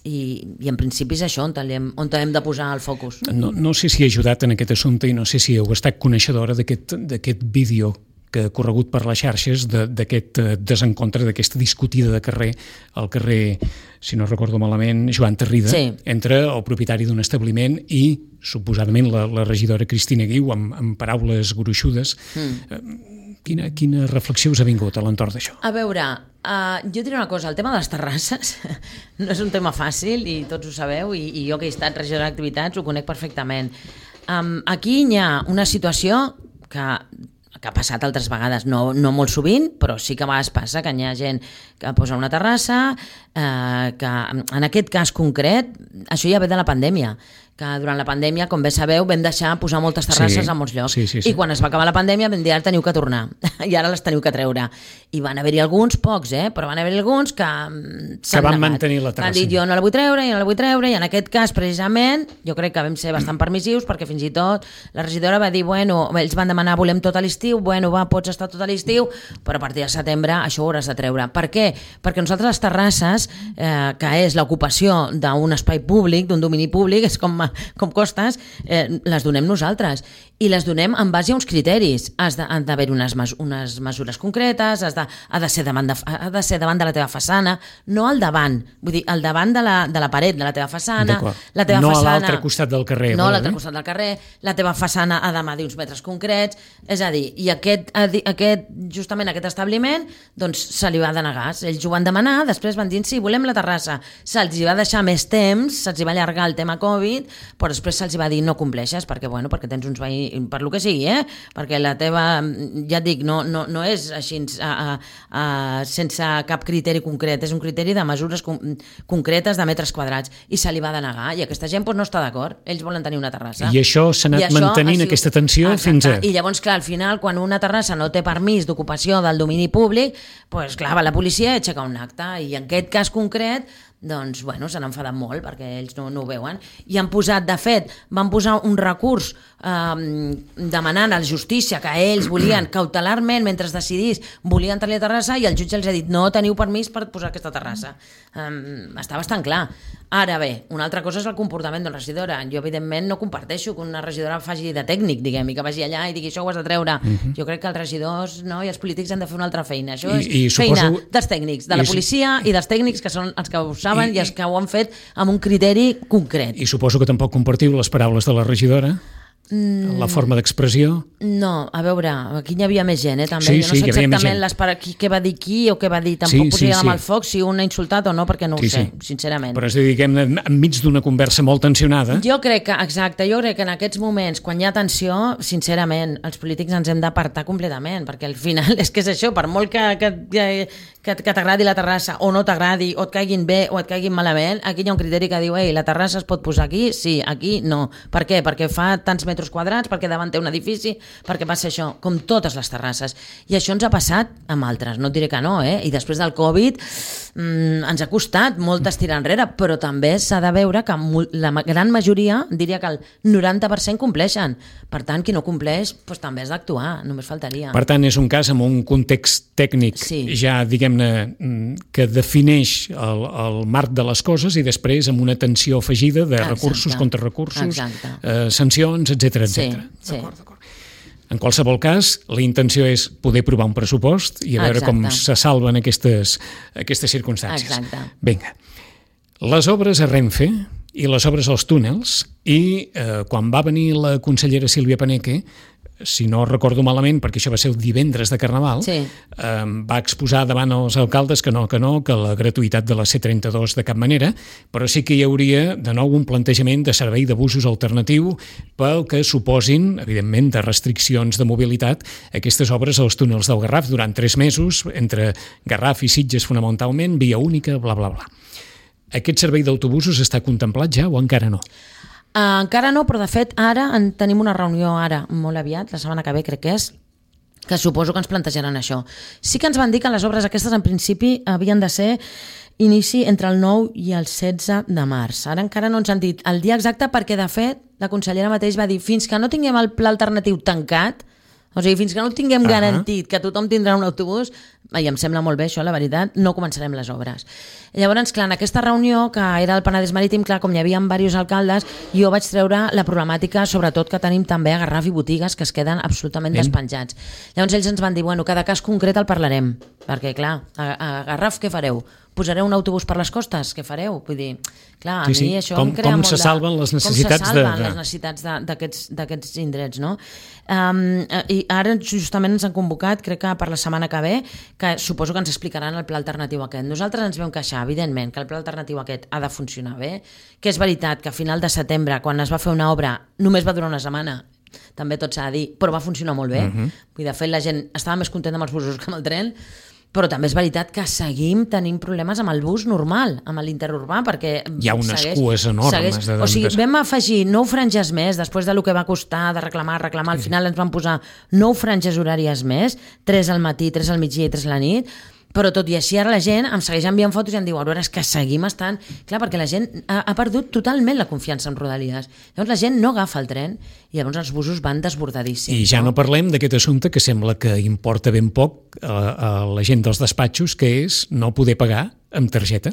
I en principi és això on hem de posar el focus. No sé si ha ajudat en aquest assumpte i no sé si heu estat coneixedora d'aquest vídeo que ha corregut per les xarxes d'aquest desencontre, d'aquesta discutida de carrer, al carrer, si no recordo malament, Joan Tarrida, entre el propietari d'un establiment i, suposadament, la regidora Cristina Guiu, amb paraules gruixudes. Quina reflexió us ha vingut a l'entorn d'això? A veure, jo diré una cosa, el tema de les terrasses no és un tema fàcil i tots ho sabeu i jo que he estat regidora d'activitats ho conec perfectament. Aquí hi ha una situació que ha passat altres vegades, no molt sovint, però sí que a vegades passa que hi ha gent que posa una terrassa, que en aquest cas concret, això ja ve de la pandèmia, que durant la pandèmia, com bé sabeu, vam deixar posar moltes terrasses a molts llocs. I quan es va acabar la pandèmia vam dir, ara teniu que tornar, i ara les teniu que treure. I van haver-hi alguns, pocs, però van haver-hi alguns que van mantenir la terrassa. Han dit, jo no la vull treure, i en aquest cas, precisament, jo crec que vam ser bastant permissius, perquè fins i tot la regidora va dir, ells van demanar, volem tot a l'estiu, pots estar tot a l'estiu, però a partir de setembre això ho hauràs de treure. Per què? Perquè nosaltres les terrasses, que és l'ocupació d'un espai públic, d'un domini públic, és com costes, les donem nosaltres i les donem en base a uns criteris. Han d'haver unes mesures concretes, ha de ser davant de la teva façana, no al davant, vull dir, al davant de la paret de la teva façana, no a l'altre costat del carrer. No a l'altre costat del carrer, la teva façana ha de medir uns metres concrets, és a dir, i justament aquest establiment doncs se li va denegar, ells ho van demanar, després van dir, sí, volem la terrassa, se'ls va deixar més temps, se'ls va allargar el tema Covid, però després se'ls va dir no compleixes perquè tens uns veïns, per lo que sigui, perquè la teva, ja et dic, no és així sense cap criteri concret, és un criteri de mesures concretes de metres quadrats i se li va denegar i aquesta gent no està d'acord, ells volen tenir una terrassa. I això s'ha anat mantenint aquesta tensió fins a... I llavors, clar, al final, quan una terrassa no té permís d'ocupació del domini públic, doncs clar, va la policia i aixeca un acte i en aquest cas concret doncs, se n'han enfadat molt perquè ells no ho veuen i han posat, de fet, van posar un recurs demanant a la justícia que ells volien cautelarment, mentre es decidís, volien tenir la terrassa, i el jutge els ha dit no teniu permís per posar aquesta terrassa. Està bastant clar. Ara bé, una altra cosa és el comportament d'una regidora. Jo, evidentment, no comparteixo que una regidora faci de tècnic, diguem, i que vagi allà i digui això ho has de treure. Jo crec que els regidors i els polítics han de fer una altra feina. Això és feina dels tècnics, de la policia i dels tècnics, que són els que ho saben i els que ho han fet amb un criteri concret. I suposo que tampoc compartiu les paraules de la regidora? La forma d'expressió? No, a veure, aquí hi havia més gent, també. Jo no sé exactament què va dir qui o què va dir. Tampoc posaria amb el foc si un ha insultat o no, perquè no ho sé, sincerament. Però és a dir, diguem-ne, enmig d'una conversa molt tensionada. Jo crec que en aquests moments, quan hi ha tensió, sincerament, els polítics ens hem d'apartar completament, perquè al final és que és això, per molt que t'agradi la terrassa o no t'agradi, o et caiguin bé o et caiguin malament, aquí hi ha un criteri que diu la terrassa es pot posar aquí? Sí, aquí no. Per què? Perquè fa tants metres quadrats, perquè davant té un edifici, perquè passa això, com totes les terrasses. I això ens ha passat amb altres, no et diré que no, i després del Covid ens ha costat molt estirar enrere, però també s'ha de veure que la gran majoria, diria que el 90% compleixen. Per tant, qui no compleix, doncs també has d'actuar, només faltaria. Per tant, és un cas amb un context tècnic ja, diguem-ne, que defineix el marc de les coses, i després amb una tensió afegida de recursos, contrarecursos, sancions, etc. D'acord. En qualsevol cas, la intenció és poder provar un pressupost i a veure com se salven aquestes circumstàncies. Exacte. Vinga. Les obres a Renfe i les obres als túnels, i quan va venir la consellera Sílvia Paneque, si no recordo malament, perquè això va ser el divendres de Carnaval, va exposar davant els alcaldes que la gratuïtat de la C32 de cap manera, però sí que hi hauria de nou un plantejament de servei de busos alternatiu pel que suposin, evidentment, de restriccions de mobilitat aquestes obres als túnels del Garraf durant 3 mesos, entre Garraf i Sitges fonamentalment, via única, bla, bla, bla. Aquest servei d'autobusos està contemplat ja o encara no? Encara no, però de fet ara tenim una reunió molt aviat, la setmana que ve crec que suposo que ens plantejaran això. Sí que ens van dir que les obres aquestes en principi havien de ser inici entre el 9 i el 16 de març. Ara encara no ens han dit el dia exacte, perquè de fet la consellera mateix va dir fins que no tinguem el pla alternatiu tancat, o sigui, fins que no tinguem garantit que tothom tindrà un autobús, i em sembla molt bé això, la veritat, no començarem les obres. Llavors, clar, en aquesta reunió, que era al Penedès Marítim, clar, com hi havia diversos alcaldes, jo vaig treure la problemàtica, sobretot que tenim també a Garraf i botigues que es queden absolutament despenjats. Llavors ells ens van dir, bueno, cada cas concret el parlarem, perquè clar, a Garraf què fareu? Posareu un autobús per les costes? Què fareu? Vull dir, clar, a mi això em crea molt de... Com se salven les necessitats d'aquests indrets, no? I ara justament ens han convocat, crec que per la setmana que ve, que suposo que ens explicaran el pla alternatiu aquest. Nosaltres ens vam queixar, evidentment, que el pla alternatiu aquest ha de funcionar bé, que és veritat que a final de setembre, quan es va fer una obra, només va durar una setmana, també tot s'ha de dir, però va funcionar molt bé. De fet, la gent estava més contenta amb els busos que amb el tren, però també és veritat que seguim tenint problemes amb el bus normal, amb l'interurbà, perquè hi ha unes cues enormes. O sigui, vam afegir 9 franges més, després del que va costar de reclamar, al final ens van posar 9 franges horàries més, 3 al matí, 3 al migdia i 3 a la nit, però tot i així ara la gent em segueix enviant fotos i em diu, a veure, és que seguim estant... Clar, perquè la gent ha perdut totalment la confiança en Rodalies. Llavors la gent no agafa el tren i llavors els busos van desbordadíssims. I ja no parlem d'aquest assumpte que sembla que importa ben poc a la gent dels despatxos, que és no poder pagar amb targeta.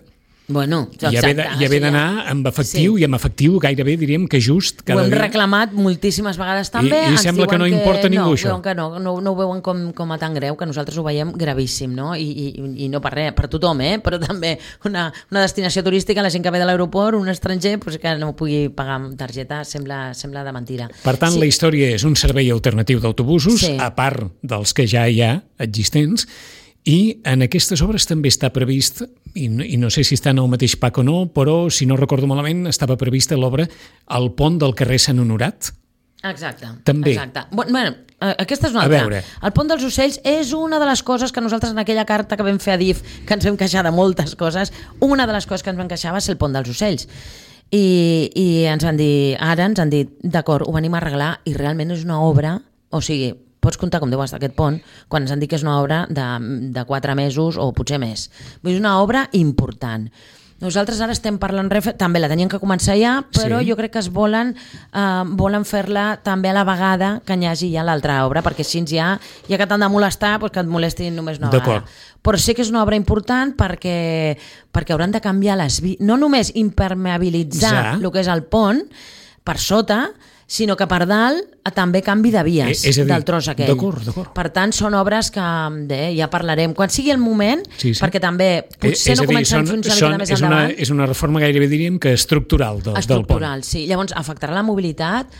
Bueno, exacte. I haver d'anar amb efectiu, i amb efectiu gairebé diríem que just cada dia. Ho hem reclamat moltíssimes vegades també. I sembla que no importa ningú això. No ho veuen com a tan greu, que nosaltres ho veiem gravíssim, no? I no per res, per tothom, però també una destinació turística, la gent que ve de l'aeroport, un estranger, que no pugui pagar amb targeta, sembla de mentira. Per tant, la història és un servei alternatiu d'autobusos, a part dels que ja hi ha existents, i en aquestes obres també està previst, i no sé si està en el mateix PAC o no, però si no recordo malament estava prevista l'obra al pont del carrer Sant Honorat. Exacte. També. Exacte. Bueno, aquesta és una altra. El pont dels Ocells és una de les coses que nosaltres en aquella carta que vam fer a DIF, que ens vam queixar de moltes coses, una de les coses que ens vam queixar va ser el pont dels Ocells. I ens van dir, d'acord, ho venim a arreglar, i realment és una obra, o sigui, pots comptar com deu estar aquest pont quan ens han dit que és una obra de 4 mesos o potser més. És una obra important. Nosaltres ara estem parlant Renfe, també la tenien que començar ja, però jo crec que es volen fer-la també a la vegada que hi hagi ja l'altra obra, perquè així ja que t'han de molestar, doncs que et molestin només una vegada. Però sí que és una obra important perquè hauran de canviar no només impermeabilitzar el que és el pont per sota, sinó que per dalt també canvi de vies del tros aquell. D'acord. Per tant, són obres que ja parlarem. Quan sigui el moment, perquè també potser no comencem fins una mica més endavant. És una reforma gairebé diríem que estructural del pont. Estructural, sí. Llavors, afectarà la mobilitat,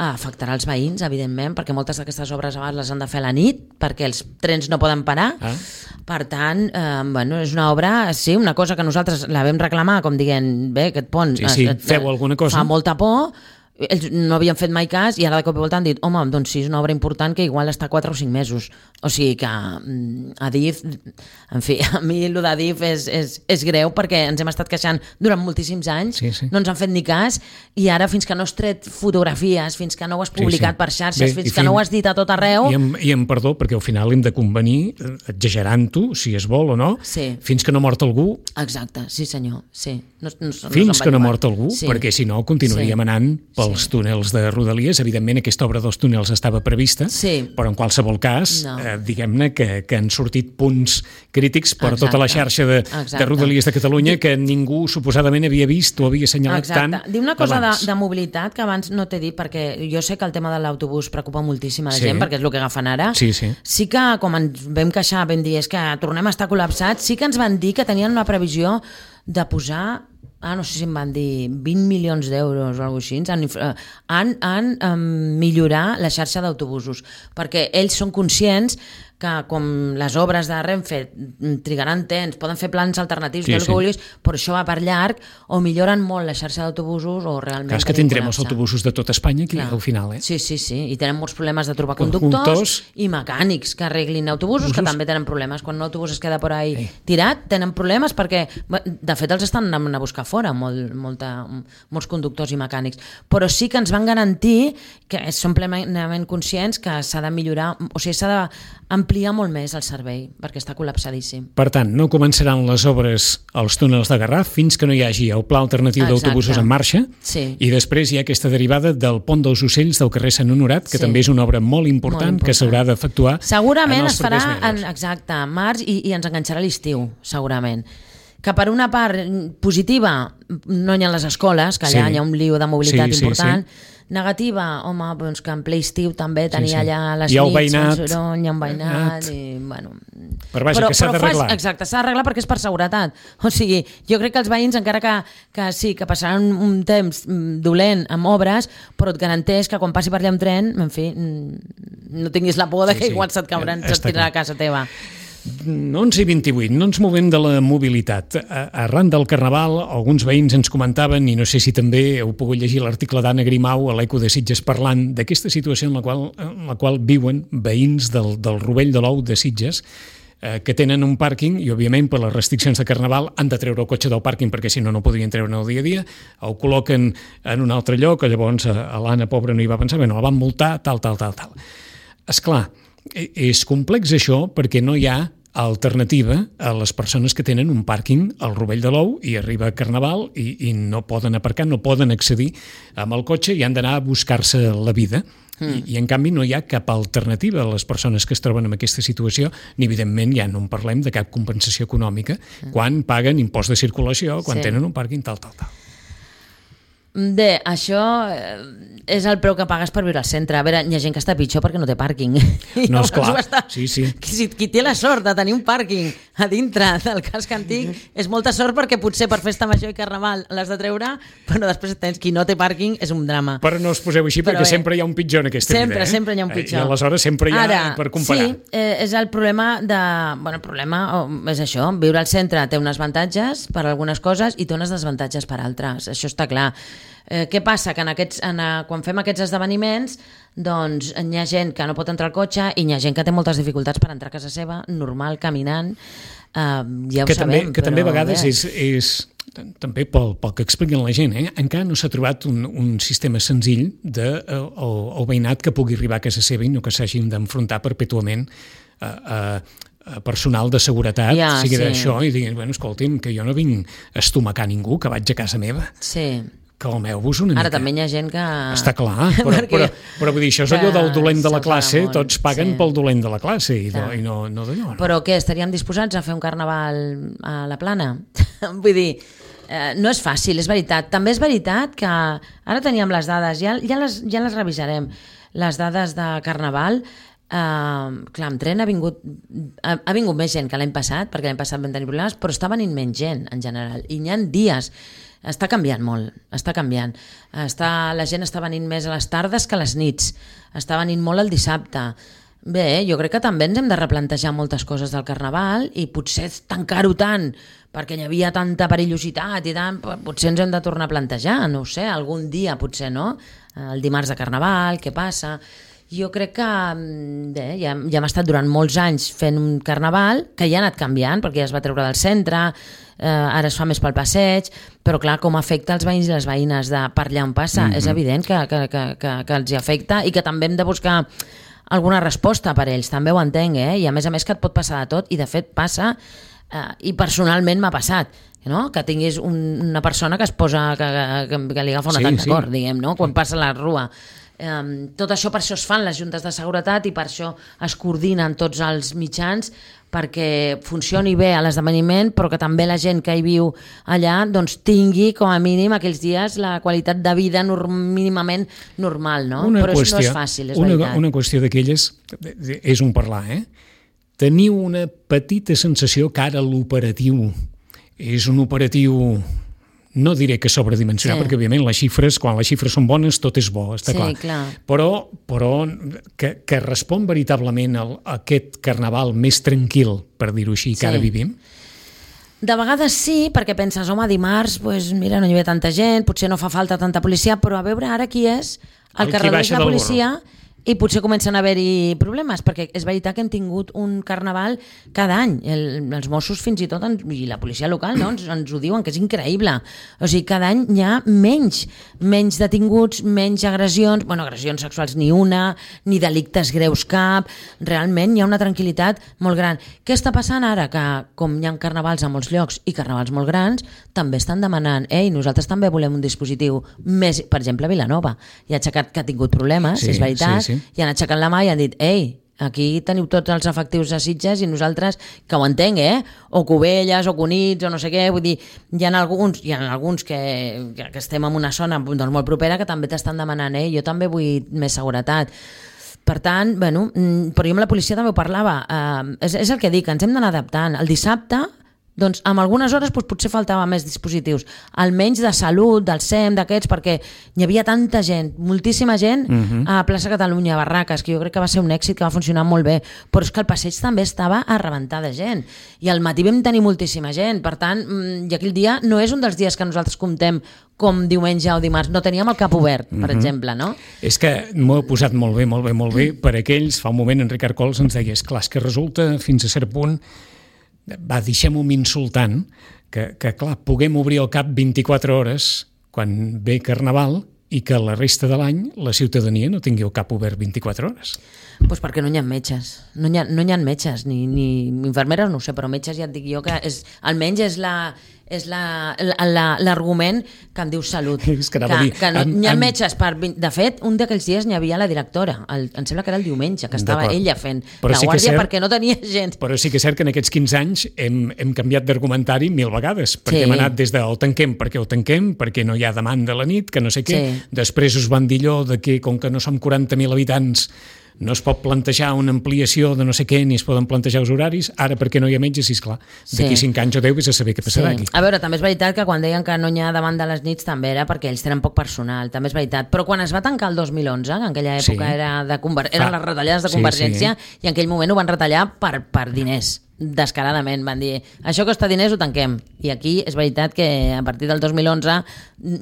afectarà els veïns, evidentment, perquè moltes d'aquestes obres abans les han de fer a la nit, perquè els trens no poden parar. Per tant, és una obra, sí, una cosa que nosaltres la vam reclamar, com dient, bé, aquest pont feu alguna cosa. Fa molta por, ells no havien fet mai cas i ara de cop i volta han dit, home, doncs sí, és una obra important que igual està 4 o 5 mesos. O sigui que Adif, en fi, a mi el d'Adif és greu perquè ens hem estat queixant durant moltíssims anys, no ens han fet ni cas i ara fins que no has tret fotografies, fins que no ho has publicat per xarxes, fins que no ho has dit a tot arreu... I em perdó, perquè al final hem de convenir, exagerant-ho, si es vol o no, fins que no mort algú... Exacte, sí senyor, sí. Fins que no mort algú, perquè si no continuaríem anant pels túnels de Rodalies. Evidentment aquesta obra dels túnels estava prevista, però en qualsevol cas diguem-ne que han sortit punts crítics per tota la xarxa de Rodalies de Catalunya que ningú suposadament havia vist o havia assenyalat tant abans. Diu una cosa de mobilitat que abans no t'he dit, perquè jo sé que el tema de l'autobús preocupa moltíssim a la gent, perquè és el que agafen ara. Sí que, com ens vam queixar, vam dir, és que tornem a estar col·lapsats, sí que ens van dir que tenien una previsió de posar, no sé si em van dir 20 milions d'euros o alguna cosa així, en millorar la xarxa d'autobusos, perquè ells són conscients que com les obres de Renfe trigaran temps, poden fer plans alternatius, el que vulguis, però això va per llarg, o milloren molt la xarxa d'autobusos o realment... Clar, és que tindrem els autobusos de tot Espanya aquí al final, Sí, i tenen molts problemes de trobar conductors i mecànics que arreglin autobusos, que també tenen problemes. Quan un autobús es queda per ahí tirat, tenen problemes perquè, de fet, els estan anant a buscar fora molts conductors i mecànics. Però sí que ens van garantir que són plenament conscients que s'ha de millorar, o sigui, s'ha d'ampliar molt més el servei, perquè està col·lapsadíssim. Per tant, no començaran les obres als túnels de Garraf fins que no hi hagi el pla alternatiu d'autobusos en marxa, i després hi ha aquesta derivada del pont dels Ocells del carrer Sant Honorat, que també és una obra molt important que s'haurà d'efectuar segurament es farà en març i ens enganxarà l'estiu, segurament. Que per una part positiva no hi ha les escoles, que allà hi ha un lío de mobilitat important. Negativa, home, doncs que en ple estiu també tenia allà les nits, el soroll, hi ha un veïnat i, bueno... Però vaja, que s'ha d'arreglar. Exacte, s'ha d'arreglar perquè és per seguretat. O sigui, jo crec que els veïns, encara que sí, que passaran un temps dolent amb obres, però et garanteix que quan passi per allà un tren, en fi, no tinguis la por de que igual se't cauran, se't tirarà a casa teva. 11:28, no ens movem de la mobilitat. Arran del Carnaval, alguns veïns ens comentaven, i no sé si també heu pogut llegir l'article d'Anna Grimau a l'Eco de Sitges parlant d'aquesta situació en la qual viuen veïns del Rovell de l'Ou de Sitges, que tenen un pàrquing i, òbviament, per les restriccions de Carnaval han de treure el cotxe del pàrquing perquè si no, no podrien treure el dia a dia, el col·loquen en un altre lloc, llavors l'Anna, pobra, no hi va pensar, la van multar, tal. Esclar, és complex això perquè no hi ha alternativa a les persones que tenen un pàrquing al Rovell de l'Ou i arriba a Carnaval i no poden aparcar, no poden accedir amb el cotxe i han d'anar a buscar-se la vida. I en canvi no hi ha cap alternativa a les persones que es troben en aquesta situació, ni evidentment ja no en parlem de cap compensació econòmica quan paguen impost de circulació, quan tenen un pàrquing tal. Bé, això és el preu que pagues per viure al centre. A veure, hi ha gent que està pitjor perquè no té pàrquing. No, esclar, sí. Qui té la sort de tenir un pàrquing a dintre del casc antic és molta sort perquè potser per festa major i Carnaval l'has de treure, però després tens qui no té pàrquing, és un drama. Però no us poseu així perquè sempre hi ha un pitjor en aquesta vida. Sempre hi ha un pitjor. I aleshores sempre hi ha per comparar. Sí, és el problema el problema és això, viure al centre té uns avantatges per algunes coses i té unes desavantatges per altres, això està clar. Què passa? Que quan fem aquests esdeveniments doncs hi ha gent que no pot entrar al cotxe i hi ha gent que té moltes dificultats per entrar a casa seva, normal, caminant, ja ho sabem. Que també a vegades és també pel que expliquen la gent, encara no s'ha trobat un sistema senzill del veïnat que pugui arribar a casa seva i no que s'hagin d'enfrontar perpètuament personal de seguretat sigui d'això i diguin, bueno, escolti'm, que jo no vinc a estomacar ningú, que vaig a casa meva. Sí. Calmeu-vos una mica. Ara també hi ha gent que... Està clar, però vull dir, això és allò del dolent de la classe, tots paguen pel dolent de la classe i no d'allò. Però què, estaríem disposats a fer un carnaval a la Plana? Vull dir, no és fàcil, és veritat. També és veritat que ara teníem les dades, ja les revisarem, les dades de carnaval. Clar, amb tren ha vingut més gent que l'any passat, perquè l'any passat vam tenir problemes, però està venint menys gent en general, i n'hi ha dies. Està canviant molt, està canviant. La gent està venint més a les tardes que a les nits, està venint molt el dissabte. Bé, jo crec que també ens hem de replantejar moltes coses del carnaval i potser tancar-ho tant perquè hi havia tanta perillositat i tant, potser ens hem de tornar a plantejar, no ho sé, algun dia potser, no? El dimarts de carnaval, què passa? Jo crec que bé, ja hem estat durant molts anys fent un carnaval que ja ha anat canviant perquè ja es va treure del centre, ara es fa més pel passeig, però clar, com afecta els veïns i les veïnes de per allà on passa, és evident que els hi afecta i que també hem de buscar alguna resposta per ells, també ho entenc, i a més que et pot passar de tot, i de fet passa, i personalment m'ha passat, no? Que tinguis una persona que es posa, que li agafa un atac de cor, diguem, no? Quan passa la rua. Tot això, per això es fan les juntes de seguretat i per això es coordinen tots els mitjans perquè funcioni bé a l'esdeveniment, però que també la gent que hi viu allà doncs tingui com a mínim aquells dies la qualitat de vida mínimament normal, no? Però no és fàcil, és veritat. Una qüestió d'aquelles és un parlar, Teniu una petita sensació que ara l'operatiu és un operatiu, no diré que sobredimensionat, perquè òbviament quan les xifres són bones tot és bo, està clar. Però que respon veritablement a aquest carnaval més tranquil, per dir-ho així, que ara vivim? De vegades sí, perquè penses, home, dimarts, mira, no hi havia tanta gent, potser no fa falta tanta policia, però a veure ara qui és el que redueix la policia i potser comencen a haver-hi problemes, perquè és veritat que hem tingut un carnaval cada any. Els Mossos fins i tot, i la policia local, no, ens ho diuen, que és increïble. O sigui, cada any hi ha menys detinguts, menys agressions, agressions sexuals ni una, ni delictes greus cap, realment hi ha una tranquil·litat molt gran. Què està passant ara? Que com hi ha carnavals a molts llocs i carnavals molt grans, també estan demanant, nosaltres també volem un dispositiu més, per exemple, Vilanova, i ha aixecat que ha tingut problemes, és veritat, i han aixecat la mà i han dit, aquí teniu tots els efectius de Sitges i nosaltres, que ho entenc, o Cubelles, o Cunits, o no sé què, vull dir, hi ha alguns que estem en una zona doncs, molt propera que també t'estan demanant, jo també vull més seguretat. Per tant, però jo amb la policia també ho parlava, és el que dic, ens hem d'anar adaptant. El dissabte, doncs en algunes hores potser faltava més dispositius, almenys de salut, del SEM, d'aquests, perquè hi havia tanta gent, moltíssima gent a Plaça Catalunya, a Barraques, que jo crec que va ser un èxit, que va funcionar molt bé, però és que el passeig també estava a rebentar de gent, i al matí vam tenir moltíssima gent, per tant, i aquell dia no és un dels dies que nosaltres comptem com diumenge o dimarts, no teníem el cap obert, per exemple, no? És que m'ho he posat molt bé, per aquells, fa un moment en Ricard Cols ens deia, esclar, és que resulta fins a cert punt deixem-ho insultant, que clar, puguem obrir el cap 24 hores quan ve Carnaval i que la resta de l'any la ciutadania no tingui el cap obert 24 hores. Doncs perquè no hi ha metges, no hi ha metges, ni infermeres, no ho sé, però metges ja et dic jo que almenys és l'argument que em diu Salut. Que no hi ha metges. De fet, un d'aquells dies n'hi havia la directora, em sembla que era el diumenge, que estava ella fent la guàrdia perquè no tenia gent. Però sí que és cert que en aquests 15 anys hem canviat d'argumentari 1000 vegades, perquè hem anat des del tanquem, perquè no hi ha demanda a la nit, que no sé què. Després us van dir allò de que com que no som 40.000 habitants no es pot plantejar una ampliació de no sé què, ni es poden plantejar els horaris, ara perquè no hi ha metges, esclar, d'aquí 5 anys o 10 vés a saber què passarà aquí. A veure, també és veritat que quan deien que no hi ha demanda a les nits també era perquè ells tenen poc personal, també és veritat, però quan es va tancar el 2011, que en aquella època eren les retallades de Convergència, i en aquell moment ho van retallar per diners, descaradament, van dir, això costa diners, ho tanquem, i aquí és veritat que a partir del 2011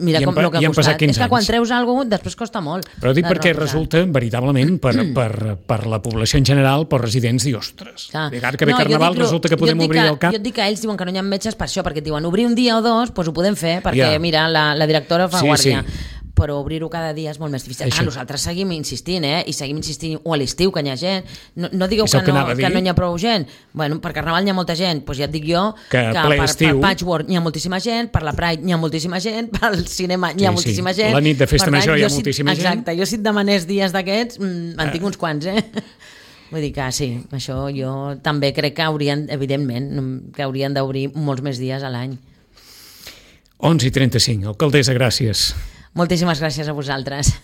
mira com el que ha costat, és que quan treus alguna cosa després costa molt. Però dic perquè resulta veritablement per la població en general, per residents, dir, ostres, ara que ve Carnaval resulta que podem obrir el cap. Jo et dic que ells diuen que no hi ha metges per això, perquè et diuen obrir un dia o dos, doncs ho podem fer, perquè mira, la directora fa guàrdia. però obrir-ho cada dia és molt més difícil. Nosaltres seguim insistint, i seguim insistint, o a l'estiu, que hi ha gent. No digueu que no hi ha prou gent. Bueno, per Carnaval hi ha molta gent, doncs ja et dic jo que per Patchwork hi ha moltíssima gent, per la Pride hi ha moltíssima gent, pel cinema hi ha moltíssima gent. La nit de festa major hi ha moltíssima gent. Exacte, jo si et demanés dies d'aquests, en tinc uns quants, Vull dir que sí, això jo també crec que evidentment, que haurien d'obrir molts més dies a l'any. 11:35, alcaldessa, gràcies. Moltíssimes gràcies a vosaltres.